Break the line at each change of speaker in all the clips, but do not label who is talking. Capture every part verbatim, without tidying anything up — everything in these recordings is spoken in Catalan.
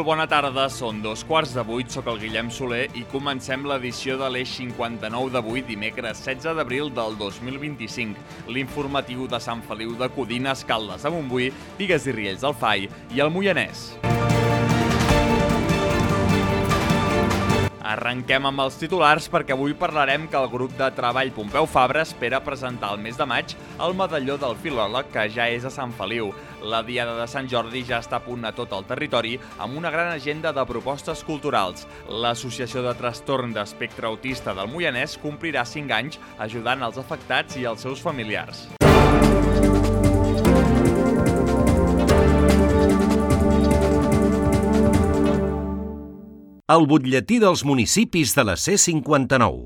Molt bona tarda, són dos quarts de vuit, soc el Guillem Soler i comencem l'edició de l'Eix cinquanta-nou d'avui, dimecres setze d'abril del dos mil vint-i-cinc. L'informatiu de Sant Feliu de Codines, Caldes de Montbui, Bigues i Riells del Fai i el Moianès. Arrenquem amb els titulars perquè avui parlarem que el grup de treball Pompeu Fabra espera presentar el mes de maig el medalló del filòleg que ja és a Sant Feliu. La Diada de Sant Jordi ja està a punt a tot el territori amb una gran agenda de propostes culturals. L'Associació de Trastorn d'Espectre Autista del Moianès complirà cinc anys ajudant els afectats i els seus familiars.
El butlletí dels municipis de la C cinquanta-nou.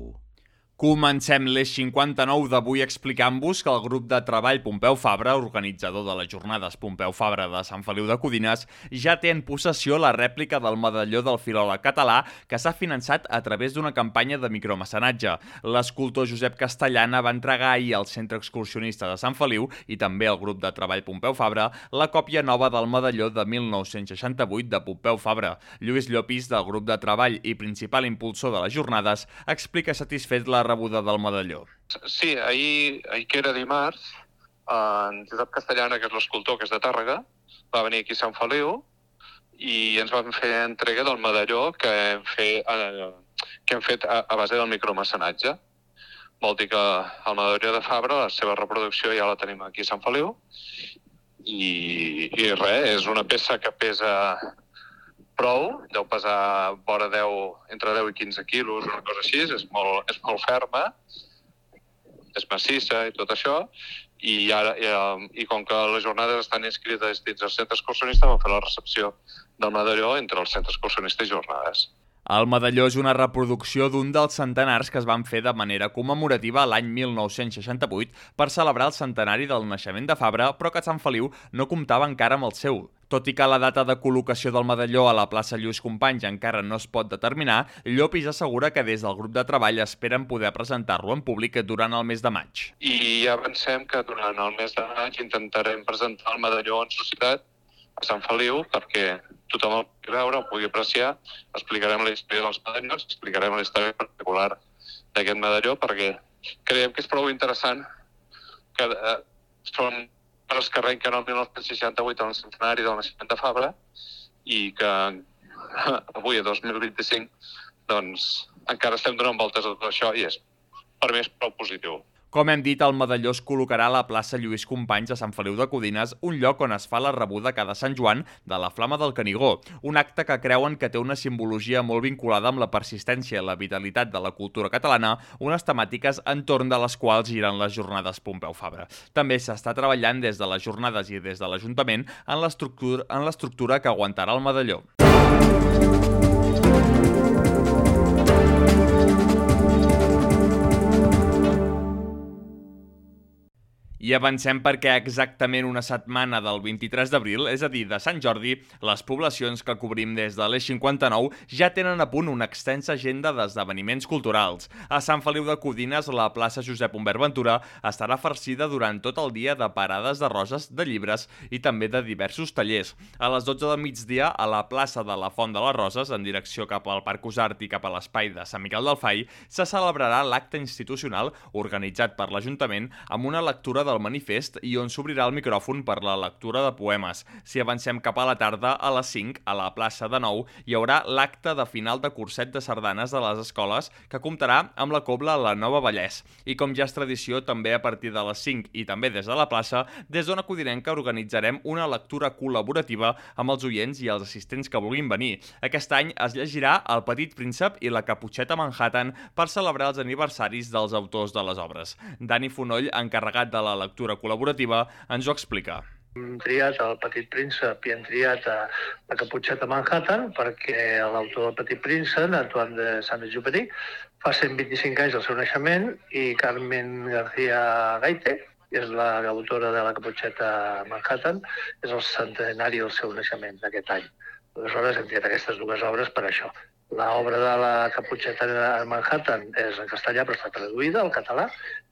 Comencem l'Eix cinquanta-nou d'avui explicant-vos que el grup de treball Pompeu Fabra, organitzador de les jornades Pompeu Fabra de Sant Feliu de Codines, ja té en possessió la rèplica del medalló del filòleg català que s'ha finançat a través d'una campanya de micromecenatge. L'escultor Josep Castellana va entregar ahir al Centre Excursionista de Sant Feliu i també al grup de treball Pompeu Fabra la còpia nova del medalló de mil nou-cents seixanta-vuit de Pompeu Fabra. Lluís Llopis, del grup de treball i principal impulsor de les jornades, explica satisfet la rebuda del medalló.
Sí, ahir, ahir que era dimarts, en Josep Castellana, que és l'escultor, que és de Tàrrega, va venir aquí a Sant Feliu i ens van fer entrega del medalló que hem fet, eh, que hem fet a, a base del micromecenatge. Vol dir que el medalló de Fabra, la seva reproducció ja la tenim aquí a Sant Feliu i, i res, és una peça que pesa prou, deu pesar vora deu, entre deu i quinze quilos, una cosa així, és molt, és molt ferma, és massissa i tot això, i, ara, i, i com que les jornades estan inscrites dins el centre excursionista, vam fer la recepció del medalló entre el centre excursionista i jornades.
El medalló és una reproducció d'un dels centenars que es van fer de manera commemorativa l'any mil nou-cents seixanta-vuit per celebrar el centenari del naixement de Fabra, però que Sant Feliu no comptava encara amb el seu. Tot i que la data de col·locació del medalló a la plaça Lluís Companys encara no es pot determinar, Llopis assegura que des del grup de treball esperen poder presentar-lo en públic durant el mes de maig.
I ja avancem que durant el mes de maig intentarem presentar el medalló en societat a Sant Feliu perquè tothom el pugui veure, el pugui apreciar. Explicarem la història dels medallons, explicarem la història particular d'aquest medalló perquè creiem que és prou interessant que eh, són els que arrenquen el mil nou-cents seixanta-vuit en el centenari del naixement de Fabra i que avui, a dos mil vint-i-cinc, doncs encara estem donant voltes a tot això i és, per mi és prou positiu.
Com hem dit, el medalló es col·locarà a la plaça Lluís Companys a Sant Feliu de Codines, un lloc on es fa la rebuda cada Sant Joan de la Flama del Canigó, un acte que creuen que té una simbologia molt vinculada amb la persistència i la vitalitat de la cultura catalana, unes temàtiques entorn de les quals giren les jornades Pompeu Fabra. També s'està treballant des de les jornades i des de l'Ajuntament en l'estructura en l'estructura que aguantarà el medalló. I avancem perquè exactament una setmana del vint-i-tres d'abril, és a dir, de Sant Jordi, les poblacions que cobrim des de l'Eix cinquanta-nou ja tenen a punt una extensa agenda d'esdeveniments culturals. A Sant Feliu de Codines, la plaça Josep Humbert Ventura estarà farcida durant tot el dia de parades de roses, de llibres i també de diversos tallers. A les dotze del migdia, a la plaça de la Font de les Roses, en direcció cap al Parc Usart i cap a l'espai de Sant Miquel del Fai, se celebrarà l'acte institucional organitzat per l'Ajuntament amb una lectura del manifest i on s'obrirà el micròfon per la lectura de poemes. Si avancem cap a la tarda, a les cinc, a la plaça de Nou, hi haurà l'acte de final de curset de sardanes de les escoles que comptarà amb la cobla La Nova Vallès. I com ja és tradició, també a partir de les cinc i també des de la plaça, des d'Ona Codinenca organitzarem una lectura col·laborativa amb els oients i els assistents que vulguin venir. Aquest any es llegirà El Petit Príncep i La Caputxeta Manhattan per celebrar els aniversaris dels autors de les obres. Dani Fonoll, encarregat de la lectura col·laborativa, ens ho explica.
Hem triat El Petit Príncep i hem triat La Caputxeta Manhattan perquè l'autor del Petit Príncep, Antoine de Saint-Exupéry, fa cent vint-i-cinc anys del seu naixement i Carmen García Gaite, que és l'autora de La Caputxeta Manhattan, és el centenari del seu naixement d'aquest any. Aleshores hem triat aquestes dues obres per això. L'obra de La Caputxeta Manhattan és en castellà però està traduïda al català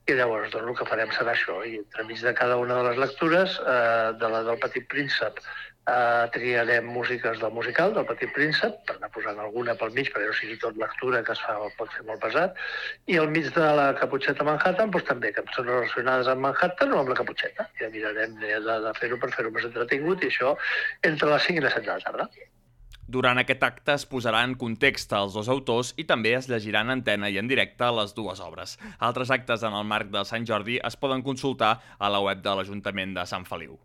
i llavors doncs, el que farem serà això. I entremig de cada una de les lectures, eh, de la del Petit Príncep Uh, triarem músiques del musical, del Petit Príncep, per anar posant alguna pel mig, perquè no sigui tot lectura, que es fa, pot fer molt pesat. I al mig de la Caputxeta Manhattan, doncs, també cançons relacionades amb Manhattan o amb la Caputxeta. Ja mirarem de, de fer-ho per fer-ho més entretingut, i això entre les cinc i les set de la tarda.
Durant aquest acte es posarà en context els dos autors i també es llegiran en antena i en directe les dues obres. Altres actes en el marc de Sant Jordi es poden consultar a la web de l'Ajuntament de Sant Feliu.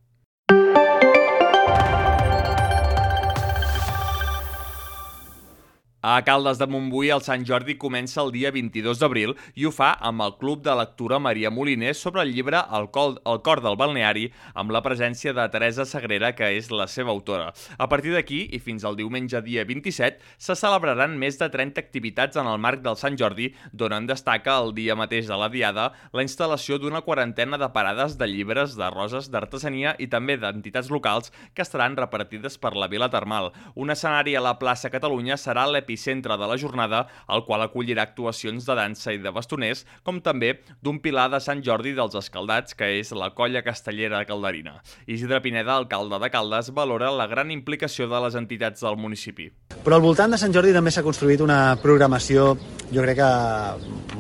A Caldes de Montbui, el Sant Jordi comença el dia vint-i-dos d'abril i ho fa amb el Club de Lectura Maria Moliner sobre el llibre El cor, el cor del balneari, amb la presència de Teresa Sagrera, que és la seva autora. A partir d'aquí, i fins al diumenge dia vint-i-set, se celebraran més de trenta activitats en el marc del Sant Jordi, d'on en destaca el dia mateix de la Diada la instal·lació d'una quarantena de parades de llibres, de roses, d'artesania i també d'entitats locals que estaran repartides per la Vila Termal. Un escenari a la plaça Catalunya serà l'episodi centre de la jornada, el qual acollirà actuacions de dansa i de bastoners, com també d'un pilar de Sant Jordi dels Escaldats, que és la colla castellera calderina. Isidre Pineda, alcalde de Caldes, valora la gran implicació de les entitats del municipi.
Però al voltant de Sant Jordi també s'ha construït una programació, jo crec que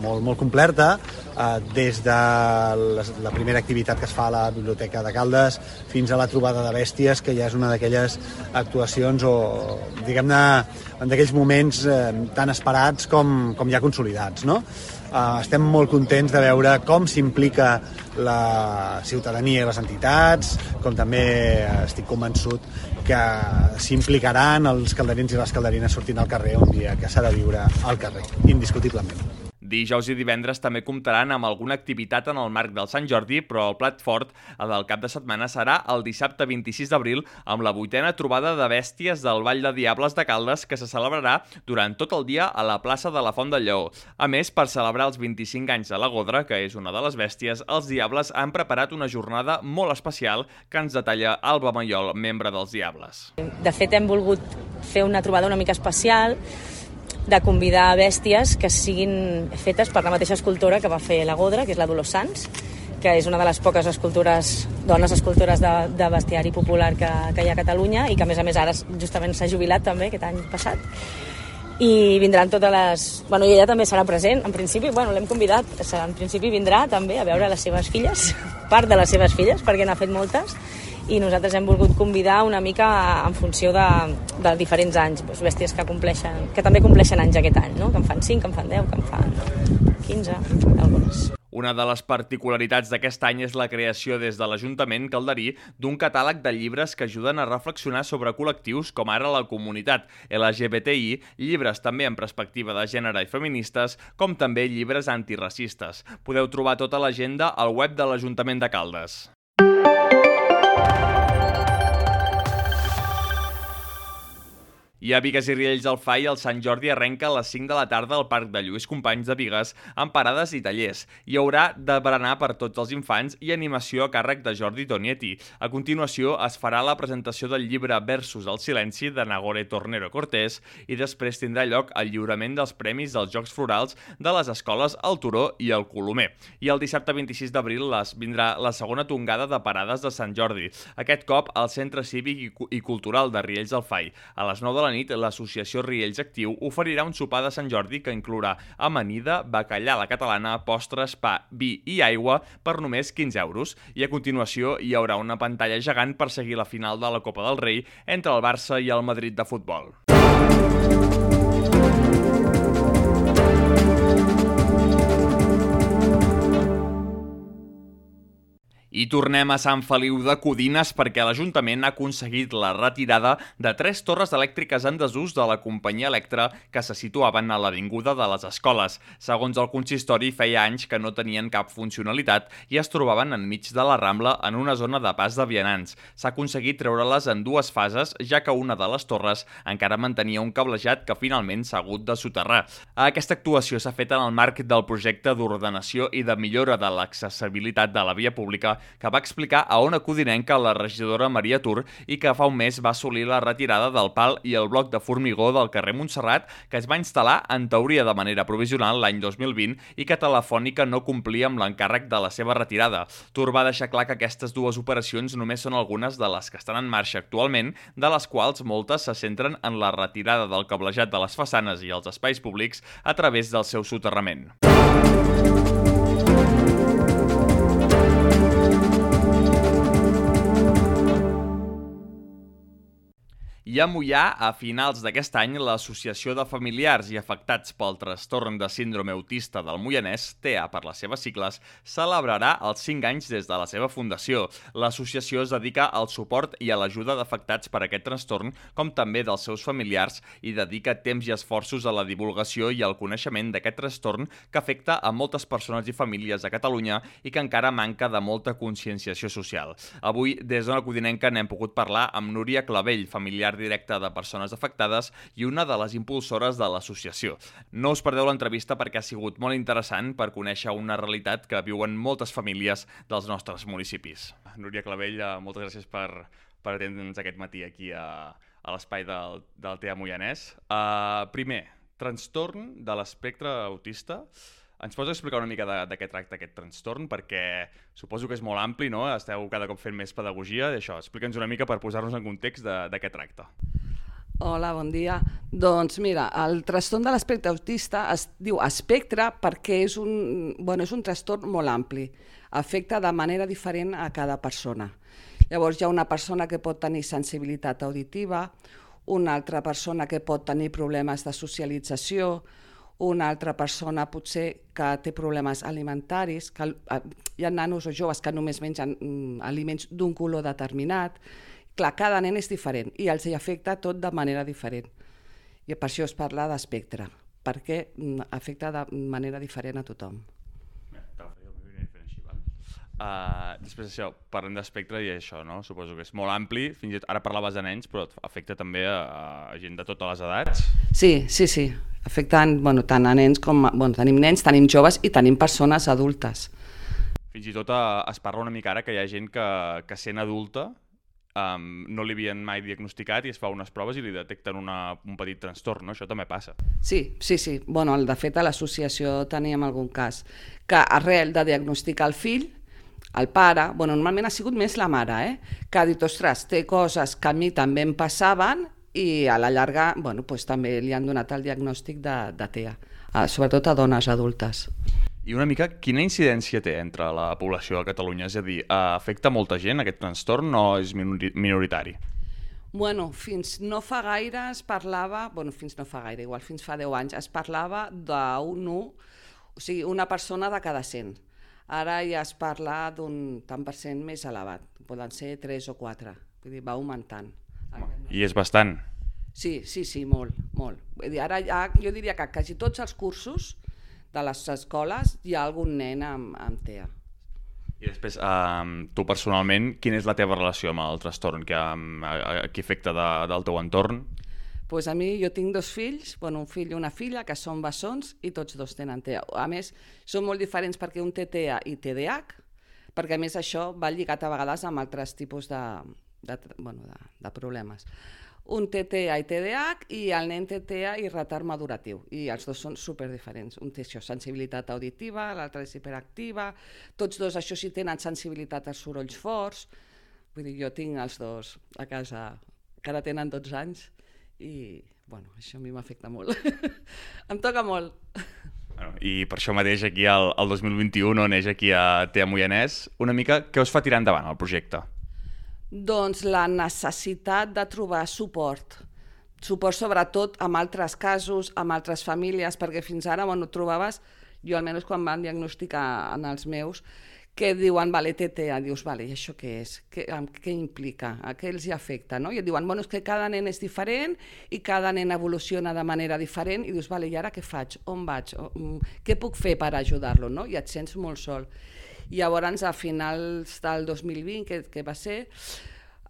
molt, molt completa, des de la primera activitat que es fa a la Biblioteca de Caldes fins a la trobada de bèsties, que ja és una d'aquelles actuacions o, diguem-ne, d'aquells moments eh, tan esperats com, com ja consolidats, no? Uh, estem molt contents de veure com s'implica la ciutadania i les entitats, com també estic convençut que s'implicaran els calderins i les calderines sortint al carrer un dia que s'ha de viure al carrer, indiscutiblement.
Dijous i divendres també comptaran amb alguna activitat en el marc del Sant Jordi, però el plat fort del cap de setmana serà el dissabte vint-i-sis d'abril amb la vuitena trobada de bèsties del Ball de Diables de Caldes, que se celebrarà durant tot el dia a la plaça de la Font del Lleó. A més, per celebrar els vint-i-cinc anys de la Godra, que és una de les bèsties, els Diables han preparat una jornada molt especial que ens detalla Alba Mayol, membre dels Diables.
De fet, hem volgut fer una trobada una mica especial de convidar bèsties que siguin fetes per la mateixa escultora que va fer la Godra, que és la Dolors Sans, que és una de les poques escultures, dones escultores de, de bestiari popular que, que hi ha a Catalunya i que, a més a més, ara justament s'ha jubilat també aquest any passat. I vindran totes les... Bueno, i ella també serà present, en principi, bueno, l'hem convidat, en principi vindrà també a veure les seves filles, part de les seves filles, perquè n'ha fet moltes, i nosaltres hem volgut convidar una mica en funció de, de diferents anys, doncs bèsties que compleixen, que també compleixen anys aquest any, no? Que en fan cinc, que en fan deu, que en fan quinze, algunes.
Una de les particularitats d'aquest any és la creació des de l'Ajuntament calderí d'un catàleg de llibres que ajuden a reflexionar sobre col·lectius com ara la comunitat L G B T I, llibres també en perspectiva de gènere i feministes, com també llibres antiracistes. Podeu trobar tota l'agenda al web de l'Ajuntament de Caldes. I a Bigues i Riells del Fai, el Sant Jordi arrenca a les cinc de la tarda al Parc de Lluís Companys de Bigues amb parades i tallers. Hi haurà de berenar per tots els infants i animació a càrrec de Jordi Tonietti. A continuació es farà la presentació del llibre Versos al silenci de Nagore Tornero Cortés i després tindrà lloc el lliurament dels premis dels Jocs Florals de les escoles El Turó i el Colomer. I el dissabte vint-i-sis d'abril vindrà la segona tongada de parades de Sant Jordi, aquest cop al Centre Cívic i Cultural de Riells del Fai. A les nou de la nit, l'associació Riells Actiu oferirà un sopar de Sant Jordi que inclourà amanida, bacallà a la catalana, postres, pa, vi i aigua per només quinze euros. I a continuació hi haurà una pantalla gegant per seguir la final de la Copa del Rei entre el Barça i el Madrid de futbol. I tornem a Sant Feliu de Codines perquè l'Ajuntament ha aconseguit la retirada de tres torres elèctriques en desús de la companyia Electra que se situaven a l'avinguda de les escoles. Segons el consistori, feia anys que no tenien cap funcionalitat i es trobaven enmig de la Rambla en una zona de pas de vianants. S'ha aconseguit treure-les en dues fases, ja que una de les torres encara mantenia un cablejat que finalment s'ha hagut de soterrar. Aquesta actuació s'ha fet en el marc del projecte d'ordenació i de millora de l'accessibilitat de la via pública que va explicar a Ona Codinenca la regidora Maria Tur i que fa un mes va assolir la retirada del pal i el bloc de formigó del carrer Montserrat, que es va instal·lar en teoria de manera provisional l'any dos mil vint i que Telefònica no complia amb l'encàrrec de la seva retirada. Tur va deixar clar que aquestes dues operacions només són algunes de les que estan en marxa actualment, de les quals moltes se centren en la retirada del cablejat de les façanes i els espais públics a través del seu soterrament. I a Moià, a finals d'aquest any, l'Associació de Familiars i Afectats pel Trastorn de Síndrome Autista del Moianès, T A per les seves sigles, celebrarà els cinc anys des de la seva fundació. L'associació es dedica al suport i a l'ajuda d'afectats per aquest trastorn, com també dels seus familiars, i dedica temps i esforços a la divulgació i al coneixement d'aquest trastorn que afecta a moltes persones i famílies a Catalunya i que encara manca de molta conscienciació social. Avui, des d'Ona Codinenca, n'hem pogut parlar amb Núria Clavell, familiar directe de persones afectades i una de les impulsores de l'associació. No us perdeu l'entrevista perquè ha sigut molt interessant per conèixer una realitat que viuen moltes famílies dels nostres municipis. Núria Clavell, moltes gràcies per, per atendre'ns aquest matí aquí a, a l'espai del, del T A Moianès. Uh, primer, trastorn de l'espectre autista. Ens pots explicar una mica de, de què tracta aquest trastorn? Perquè suposo que és molt ampli, no? Esteu cada cop fent més pedagogia d'això. Explica'ns una mica per posar-nos en context de, de què tracta.
Hola, bon dia. Doncs mira, el trastorn de l'espectre autista es diu espectre perquè és un, bueno, és un trastorn molt ampli. Afecta de manera diferent a cada persona. Llavors hi ha una persona que pot tenir sensibilitat auditiva, una altra persona que pot tenir problemes de socialització, una altra persona potser que té problemes alimentaris, que hi ha nanos o joves que només mengen aliments d'un color determinat. Clar, cada nen és diferent i els hi afecta tot de manera diferent. I per això es parla d'espectre, perquè afecta de manera diferent a tothom.
Uh, després d'això, parlem d'espectre i això, no? Suposo que és molt ampli, fins i tot ara parlaves de nens, però afecta també a, a gent de totes les edats?
Sí, sí, sí. Afecten bueno, tant a nens com... Bueno, tenim nens, tenim joves i tenim persones adultes.
Fins i tot uh, es parla una mica ara que hi ha gent que, que sent adulta um, no li havien mai diagnosticat i es fa unes proves i li detecten una, un petit trastorn, no? Això també passa.
Sí, sí, sí. Bueno, de fet, a l'associació teníem algun cas que arrel de diagnosticar el fill, el pare, bueno, normalment ha sigut més la mare, eh? Que ha dit, ostres, té coses que a mi també em passaven i a la llarga bueno, pues, també li han donat el diagnòstic de, de T A, uh, sobretot a dones adultes.
I una mica, quina incidència té entre la població a Catalunya? És a dir, uh, afecta molta gent aquest trastorn o és minoritari?
Bueno, fins no fa gaire es parlava, bueno, fins no fa gaire, igual fins fa deu anys, es parlava d'un u, o sigui, una persona de cada cent. Ara ja es parla d'un tant per cent més elevat, poden ser tres o quatre, vull dir, va augmentant.
I és bastant.
Sí, sí, sí, molt, molt. Vull dir, ara ja, jo diria que quasi tots els cursos de les escoles hi ha algun nen amb, amb T A.
I després, um, tu personalment, quina és la teva relació amb el trastorn? Que, um, a, a, qui afecta de, del teu entorn?
Pues a mi jo tinc dos fills, bueno, un fill i una filla, que són bessons i tots dos tenen T A. A més, són molt diferents perquè un té T A i T D A H, perquè a més això va lligat a vegades amb altres tipus de, de, bueno, de, de problemes. Un té T A i T D A H i el nen té T A i retard maduratiu. I els dos són superdiferents. Un té això, sensibilitat auditiva, l'altre és hiperactiva. Tots dos, això sí, tenen sensibilitat als sorolls forts. Vull dir, jo tinc els dos a casa, que ara tenen dotze anys, i bueno, això a mi m'afecta molt. Em toca molt.
Bueno, i per això mateix aquí el, el dos mil vint-i-u no neix aquí a T A Moianès. Una mica, què us fa tirar endavant el projecte?
Doncs la necessitat de trobar suport. Suport sobretot amb altres casos, amb altres famílies, perquè fins ara bueno, trobaves, jo almenys quan van diagnosticar en els meus, que diuen, vale, té T A, dius, vale, i això què és? Què, què implica? A què els hi afecta? No? I et diuen, bueno, és que cada nen és diferent i cada nen evoluciona de manera diferent i dius, vale, i ara què faig? On vaig? Què puc fer per ajudar-lo? No? I et sents molt sol. I llavors, a finals del dos mil vint, que, que va ser,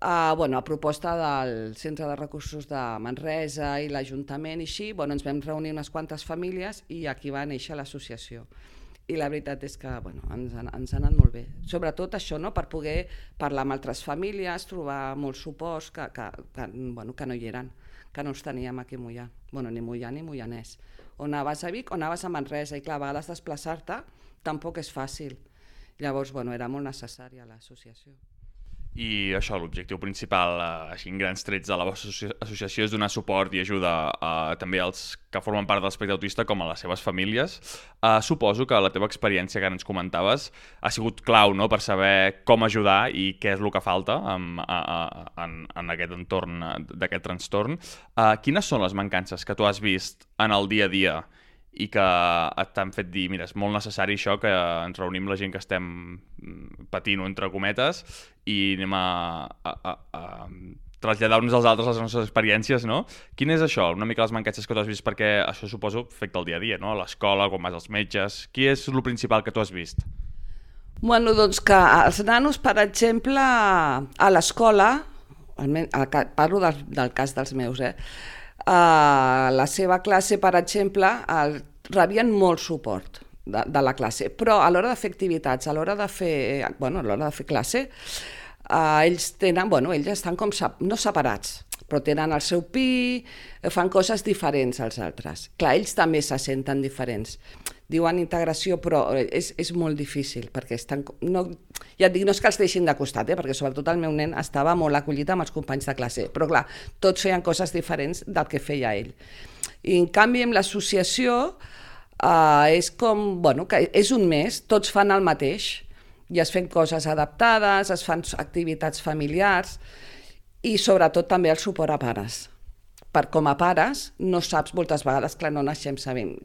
uh, bueno, a proposta del Centre de Recursos de Manresa i l'Ajuntament i així, bueno, ens vam reunir unes quantes famílies i aquí va néixer l'associació. i la veritat és que bueno, ens, ha, ens ha anat molt bé. Sobretot això, no? Per poder parlar amb altres famílies, trobar molts suports que, que, que, bueno, que no hi eren, que no els teníem aquí a Moià. Bueno, ni Moià ni Moianès. O anaves a Vic o anaves a Manresa, i clar, a vegades desplaçar-te tampoc és fàcil. Llavors, bueno, era molt necessària l'associació.
I això, l'objectiu principal, eh, així en grans trets de la vostra associació, és donar suport i ajuda eh, també als que formen part de l'espectre autista com a les seves famílies. Eh, suposo que la teva experiència que ens comentaves ha sigut clau, no?, per saber com ajudar i què és el que falta en, en, en aquest entorn d'aquest trastorn. Eh, quines són les mancances que tu has vist en el dia a dia i que t'han fet dir, mira, és molt necessari això, que ens reunim la gent que estem patint, entre cometes, i anem a, a, a, a traslladar-nos als altres les nostres experiències, no? Quin és això? Una mica les mancances que tu has vist, perquè això suposo afecta el dia a dia, no? A l'escola, quan vas als metges... Qui és el principal que tu has vist?
Bueno, doncs que els nanos, per exemple, a l'escola, parlo del, del cas dels meus, eh? A la seva classe, per exemple, el, rebien molt suport de, de la classe, però a l'hora de fer activitats, a l'hora de fer, bueno, a l'hora de fer classe, eh, ells tenen, bueno, ells estan com, no separats, però tenen el seu pi, fan coses diferents als altres. Clar, ells també se senten diferents. Diuen integració, però és, és molt difícil, perquè estan... No, ja et dic, no és que els deixin de costat, eh, perquè sobretot el meu nen estava molt acollit amb els companys de classe, però clar, tots feien coses diferents del que feia ell. I en canvi, amb l'associació, eh, és com, bueno, que és un mes, tots fan el mateix, i es fan coses adaptades, es fan activitats familiars, i sobretot també el suport a pares. Per com a pares no saps moltes vegades, clar, no naixem sabent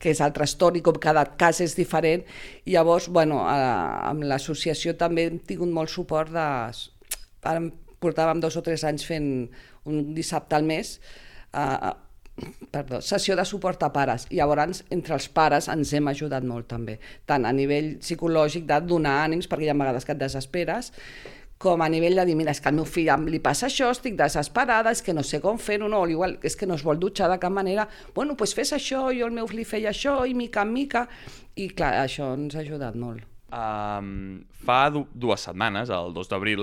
què és el trastorn i com cada cas és diferent. I llavors, bueno, amb l'associació també hem tingut molt suport de... Ara portàvem dos o tres anys fent un dissabte al mes, eh, perdó, sessió de suport a pares. I llavors entre els pares ens hem ajudat molt també, tant a nivell psicològic de donar ànims, perquè hi ha vegades que et desesperes, com a nivell de dir, mira, és que al meu fill li passa això, estic desesperada, és que no sé com fer-ho, no, igual, és que no es vol dutxar de cap manera, bueno, doncs fes això, jo el meu fill feia això, i mica en mica, i clar, això ens ha ajudat molt.
Um, fa du dues setmanes, el dos d'abril,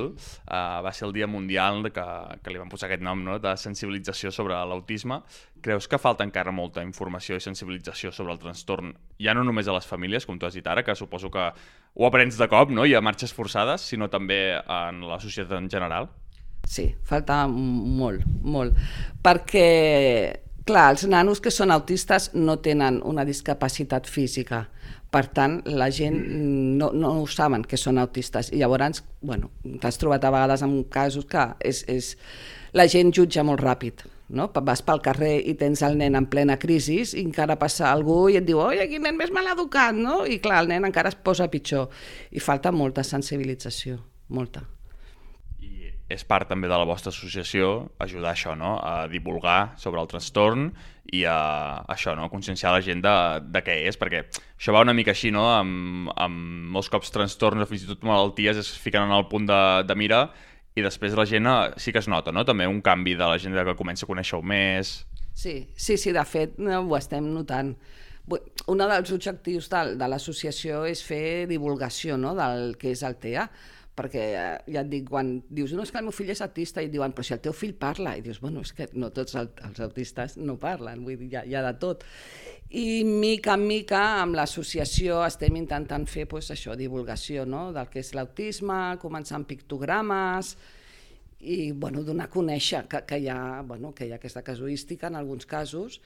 uh, va ser el Dia Mundial que, que li van posar aquest nom, no?, de sensibilització sobre l'autisme. Creus que falta encara molta informació i sensibilització sobre el trastorn, ja no només a les famílies, com tu has dit ara, que suposo que ho aprens de cop, no?, i a marxes forçades, sinó també en la societat en general?
Sí, falta molt, molt, perquè, clar, els nanos que són autistes no tenen una discapacitat física. Per tant, la gent no, no ho saben que són autistes. I llavors, bueno, t'has trobat a vegades en casos que és, és... la gent jutja molt ràpid, no? Vas pel carrer i tens el nen en plena crisi i encara passa algú i et diu, oi, quin nen més mal educat, no? I clar, el nen encara es posa pitjor. I falta molta sensibilització, molta.
I és part també de la vostra associació ajudar això, no?, a divulgar sobre el trastorn i a això, no?, conscienciar la gent de, de què és, perquè això va una mica així, no?, amb, amb molts cops trastorns o fins i tot malalties es fiquen en el punt de, de mira i després la gent sí que es nota, no?, també un canvi de la gent que comença a conèixer-ho més.
Sí, sí, sí, de fet ho estem notant. Un dels objectius de, de l'associació és fer divulgació, no?, del que és el T E A, perquè ja et dic, quan dius, no, és que el meu fill és autista, i et diuen, però si el teu fill parla, i dius, bueno, és que no tots els autistes no parlen, vull dir, hi ha, hi ha de tot. I mica en mica amb l'associació estem intentant fer pues, això, divulgació, no?, del que és l'autisme, començar amb pictogrames i bueno, donar a conèixer que, que, hi ha, bueno, que hi ha aquesta casuística en alguns casos,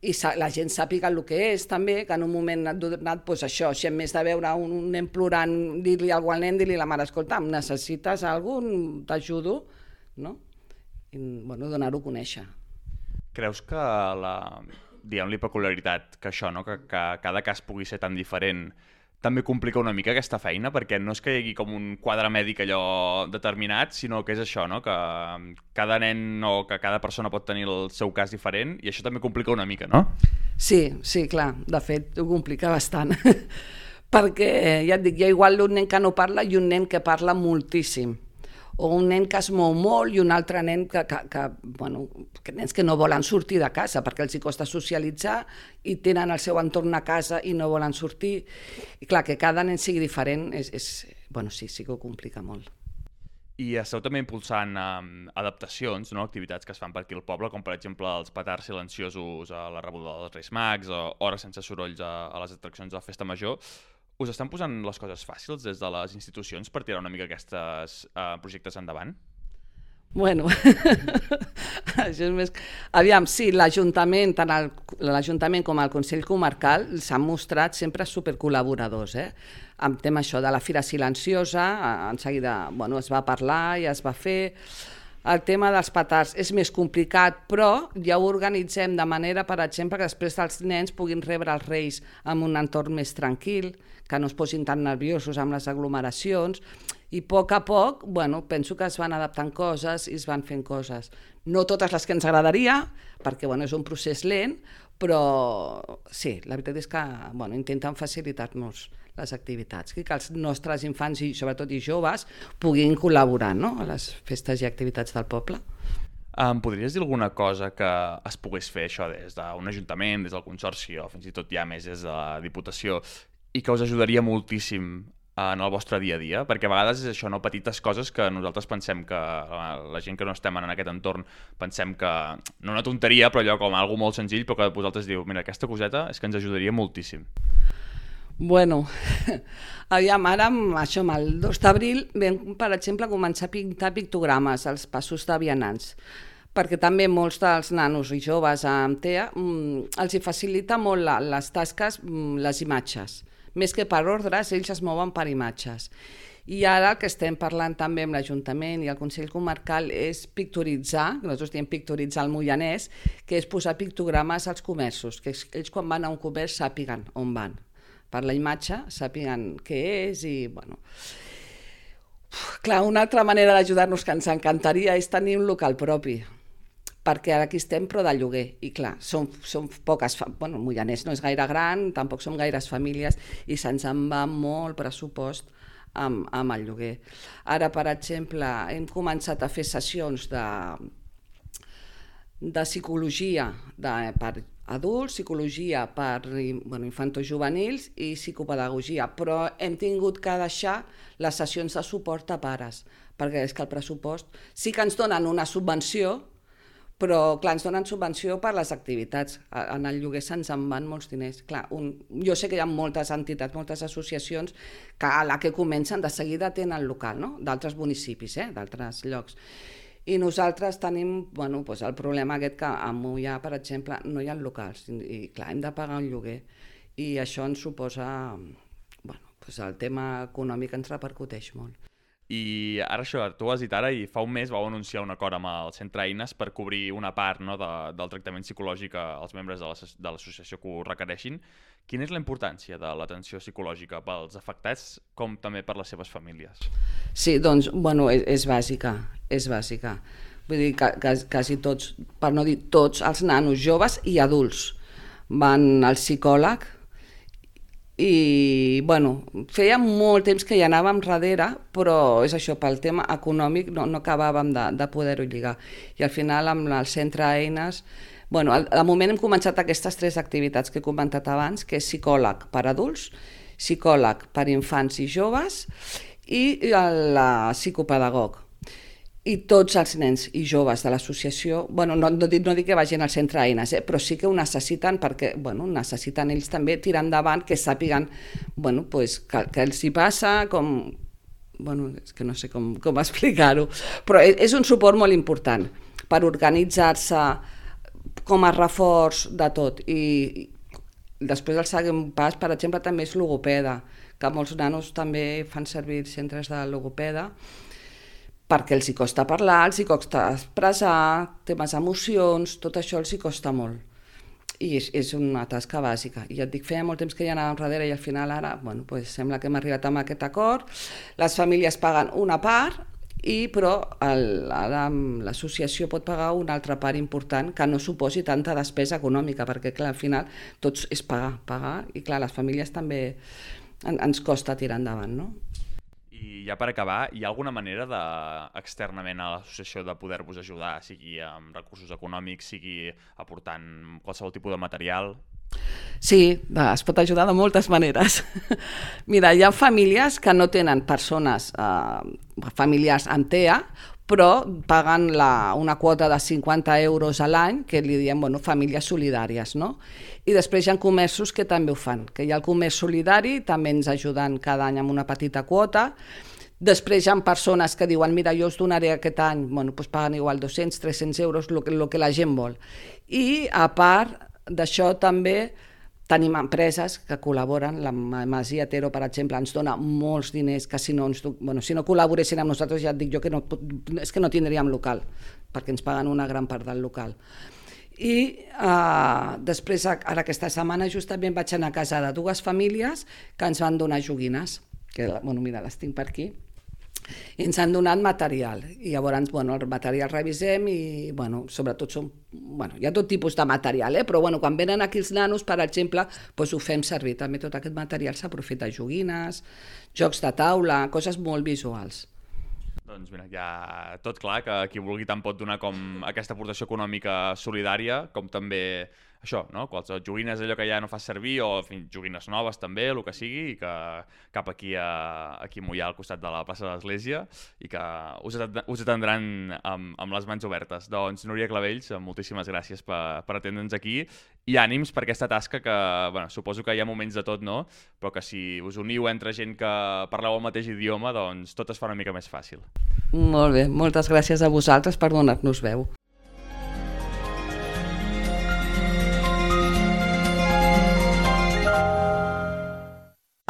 i la gent sàpiga el que és també, que en un moment ha donat doncs això, si en més de veure un nen plorant, dir-li alguna cosa al nen, dir-li a la mare, escolta, necessites alguna cosa, t'ajudo, no? I bueno, donar-ho a conèixer.
Creus que la, diguem-li, peculiaritat, que això, no? que, que cada cas pugui ser tan diferent, també complica una mica aquesta feina, perquè no és que hi hagi com un quadre mèdic allò determinat, sinó que és això, no?, que cada nen o que cada persona pot tenir el seu cas diferent, i això també complica una mica, no?
Sí, sí, clar, de fet ho complica bastant, perquè ja et dic, hi ha igual un nen que no parla i un nen que parla moltíssim, o un nen que es mou molt i un altre nen que, que, que, bueno, que nens que no volen sortir de casa perquè els hi costa socialitzar i tenen el seu entorn a casa i no volen sortir. I clar, que cada nen sigui diferent, és, és, bueno, sí, sí que ho complica molt.
I esteu també impulsant um, adaptacions, no? Activitats que es fan per aquí al poble, com per exemple els petards silenciosos a la rebuda dels Reis Mags o hores sense sorolls a, a les atraccions de la Festa Major. Us estan posant les coses fàcils des de les institucions per tirar una mica aquests uh, projectes endavant?
Bueno, això és més... Aviam, sí, l'Ajuntament, tant l'Ajuntament com el Consell Comarcal s'han mostrat sempre supercol·laboradors, eh? Amb tema això de la Fira Silenciosa, en seguida, bueno, es va parlar i es va fer. El tema dels petards és més complicat, però ja ho organitzem de manera, per exemple, que després els nens puguin rebre els Reis en un entorn més tranquil, que no es posin tan nerviosos amb les aglomeracions, i a poc a poc, bueno, penso que es van adaptant coses i es van fent coses. No totes les que ens agradaria, perquè bueno, és un procés lent, però sí, la veritat és que bueno, intenten facilitar-nos les activitats, que els nostres infants i sobretot i joves puguin col·laborar, no?, a les festes i activitats del poble.
Em podries dir alguna cosa que es pogués fer això des d'un ajuntament, des del consorci o fins i tot ja més des de la Diputació i que us ajudaria moltíssim en el vostre dia a dia? Perquè a vegades és això, no? Petites coses que nosaltres pensem que la gent que no estem en aquest entorn pensem que no una tonteria, però allò com algo molt senzill, però que vosaltres diu, mira, aquesta coseta és que ens ajudaria moltíssim.
Bueno, aviam, ara amb això, amb el dos d'abril vam, per exemple, començar a pintar pictogrames als passos de vianants, perquè també molts dels nanos i joves amb T E A els hi facilita molt les tasques, les imatges. Més que per ordres, ells es mouen per imatges. I ara el que estem parlant també amb l'Ajuntament i el Consell Comarcal és pictoritzar, nosaltres diem pictoritzar el Moianès, que és posar pictogrames als comerços, que ells quan van a un comerç sàpiguen on van. Per la imatge sàpiguen què és i, bueno... Uf, clar, una altra manera d'ajudar-nos que ens encantaria és tenir un local propi, perquè ara aquí estem però de lloguer, i clar, som, som poques... Bueno, el Moianès no és gaire gran, tampoc som gaires famílies, i se'ns en va molt pressupost amb, amb el lloguer. Ara, per exemple, hem començat a fer sessions de, de psicologia de, per adults, psicologia per bueno, infantojuvenils i psicopedagogia, però hem tingut que deixar les sessions de suport a pares, perquè és que el pressupost sí que ens donen una subvenció, però clar, ens donen subvenció per les activitats. En el lloguer se'ns en van molts diners. Clar, un, jo sé que hi ha moltes entitats, moltes associacions que a la que comencen de seguida tenen local, no? D'altres municipis, eh? D'altres llocs. I nosaltres tenim bueno, doncs el problema aquest que a Moià, per exemple, no hi ha locals i clar, hem de pagar un lloguer i això ens suposa, bueno, doncs el tema econòmic ens repercuteix molt.
I ara això, tu ho has dit ara i fa un mes vau anunciar un acord amb el Centre Eines per cobrir una part no, de, del tractament psicològic als membres de l'associació que ho requereixin. Quina és la importància de l'atenció psicològica pels afectats com també per les seves famílies?
Sí, doncs, bueno, és, és bàsica, és bàsica. Vull dir que quasi tots, per no dir tots, els nanos joves i adults van al psicòleg i, bueno, feia molt temps que hi anàvem darrere, però és això, pel tema econòmic no, no acabàvem de, de poder-ho lligar. I al final amb el Centre Eines, bueno, de moment hem començat aquestes tres activitats que he comentat abans, que és psicòleg per adults, psicòleg per infants i joves i la psicopedagog. I tots els nens i joves de l'associació, bueno, no, no, dic, no dic que vagin al Centre Eines, eh, però sí que ho necessiten perquè bueno, necessiten ells també tirar endavant, que sàpiguen bueno, pues, que, que els hi passa, com... Bueno, és que no sé com, com explicar-ho, però és un suport molt important per organitzar-se com a reforç de tot. I després el següent pas, per exemple, també és logopeda, que molts nanos també fan servir centres de logopeda, perquè els hi costa parlar, els hi costa expressar, temes emocions, tot això els hi costa molt. I és, és una tasca bàsica. I ja et dic, feia molt temps que hi anàvem darrere i al final ara, bueno, pues sembla que hem arribat amb aquest acord. Les famílies paguen una part, i però el, ara l'associació pot pagar una altra part important que no suposi tanta despesa econòmica, perquè clar, al final tot és pagar, pagar, i clar, les famílies també en, ens costa tirar endavant, no?
I ja per acabar, hi ha alguna manera de, externament a l'associació de poder-vos ajudar, sigui amb recursos econòmics, sigui aportant qualsevol tipus de material?
Sí, es pot ajudar de moltes maneres. Mira, hi ha famílies que no tenen persones, eh, familiars amb T E A, però paguen la, una quota de cinquanta euros a l'any, que li diem bueno, famílies solidàries, no? I després hi ha comerços que també ho fan, que hi ha el comerç solidari, també ens ajuden cada any amb una petita quota. Després hi ha persones que diuen, mira, jo us donaré aquest any, bueno, doncs paguen igual dos-cents, tres-cents euros, el que, el que la gent vol. I a part d'això també tenim empreses que col·laboren, la Masia Tero, per exemple, ens dona molts diners que si no, ens, bueno, si no col·laboressin amb nosaltres, ja et dic jo que no, és que no tindríem local, perquè ens paguen una gran part del local. I uh, després, ara aquesta setmana, justament vaig anar a casa de dues famílies que ens van donar joguines, que, bueno, mira, les tinc per aquí, i ens han donat material, i llavors bueno, el material revisem i bueno, sobretot som, bueno, hi ha tot tipus de material, eh? Però bueno, quan venen aquí els nanos, per exemple, doncs ho fem servir, també tot aquest material s'aprofita, joguines, jocs de taula, coses molt visuals.
Doncs mira, ja tot clar, que qui vulgui tant pot donar com aquesta aportació econòmica solidària, com també això, no? Qualsevol joguines, allò que ja no fas servir, o en fi, joguines noves també, el que sigui, i que cap aquí a, aquí a Moià, al costat de la plaça de l'Església, i que us, us atendran amb, amb les mans obertes. Doncs, Núria Clavells, moltíssimes gràcies per, per atendre'ns aquí, i ànims per aquesta tasca que, bueno, suposo que hi ha moments de tot, no? Però que si us uniu entre gent que parleu el mateix idioma, doncs tot es fa una mica més fàcil.
Molt bé, moltes gràcies a vosaltres per donar-nos veu.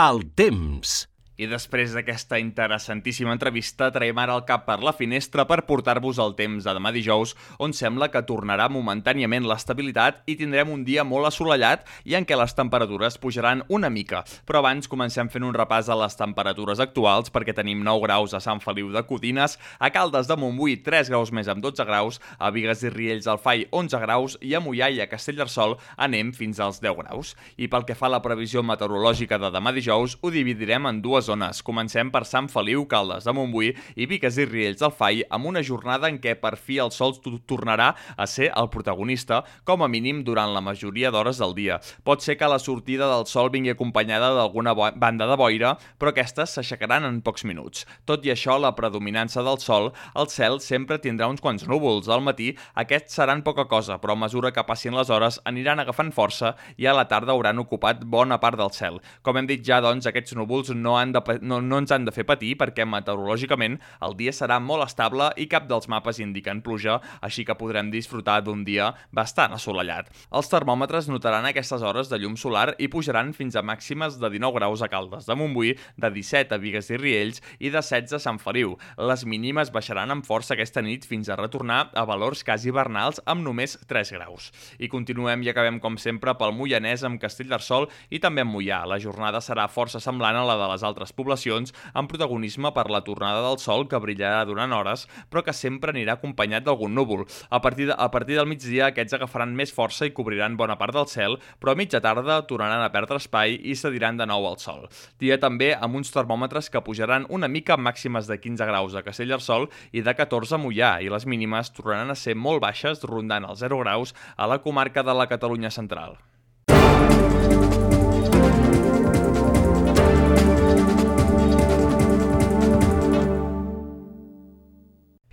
El temps.
I després d'aquesta interessantíssima entrevista, traiem ara el cap per la finestra per portar-vos el temps de demà dijous, on sembla que tornarà momentàniament l'estabilitat i tindrem un dia molt assolellat i en què les temperatures pujaran una mica. Però abans comencem fent un repàs a les temperatures actuals, perquè tenim nou graus a Sant Feliu de Codines, a Caldes de Montbui tres graus més amb dotze graus, a Bigues i Riells al Fai onze graus i a Moià i a Castellterçol anem fins als deu graus. I pel que fa a la previsió meteorològica de demà dijous, ho dividirem en dues zones. Comencem per Sant Feliu, Caldes de Montbui i Bigues i Riells del Fai, amb una jornada en què per fi el sol tornarà a ser el protagonista, com a mínim durant la majoria d'hores del dia. Pot ser que la sortida del sol vingui acompanyada d'alguna banda de boira, però aquestes s'aixecaran en pocs minuts. Tot i això, la predominança del sol, el cel sempre tindrà uns quants núvols. Al matí, aquests seran poca cosa, però a mesura que passin les hores aniran agafant força i a la tarda hauran ocupat bona part del cel. Com hem dit ja, doncs, aquests núvols no han de No, no ens han de fer patir perquè meteorològicament el dia serà molt estable i cap dels mapes indiquen pluja, així que podrem disfrutar d'un dia bastant assolellat. Els termòmetres notaran aquestes hores de llum solar i pujaran fins a màximes de dinou graus a Caldes de Montbui, de disset a Bigues i Riells i de setze a Sant Feliu. Les mínimes baixaran amb força aquesta nit fins a retornar a valors quasi hivernals amb només tres graus. I continuem i acabem com sempre pel Moianès amb Castellterçol i també amb Moià. La jornada serà força semblant a la de les altres poblacions, amb protagonisme per la tornada del sol que brillarà durant hores, però que sempre anirà acompanyat d'algun núvol. A partir, de, a partir del migdia aquests agafaran més força i cobriran bona part del cel, però a mitja tarda tornaran a perdre espai i cediran de nou al sol. Dia també amb uns termòmetres que pujaran una mica amb màximes de quinze graus a Castellterçol i de catorze a Moià, i les mínimes tornaran a ser molt baixes, rondant els zero graus a la comarca de la Catalunya central.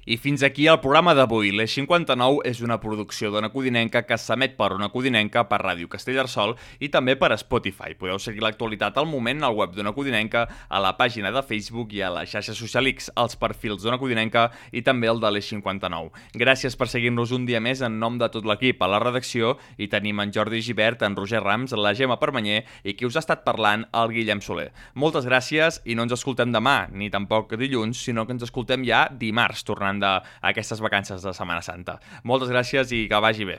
I fins aquí el programa d'avui. l'Eix cinquanta-nou és una producció d'Ona Codinenca que s'emet per Ona Codinenca, per Ràdio Castellterçol i també per Spotify. Podeu seguir l'actualitat al moment al web d'Ona Codinenca, a la pàgina de Facebook i a la xarxa social X, als perfils d'Ona Codinenca i també el de l'Eix cinquanta-nou. Gràcies per seguir-nos un dia més en nom de tot l'equip. A la redacció hi tenim en Jordi Gibert, en Roger Rams, la Gemma Permanyer i qui us ha estat parlant, el Guillem Soler. Moltes gràcies i no ens escoltem demà, ni tampoc dilluns, sinó que ens escoltem ja dimarts, tornant d'aquestes vacances de Setmana Santa. Moltes gràcies i que vagi bé.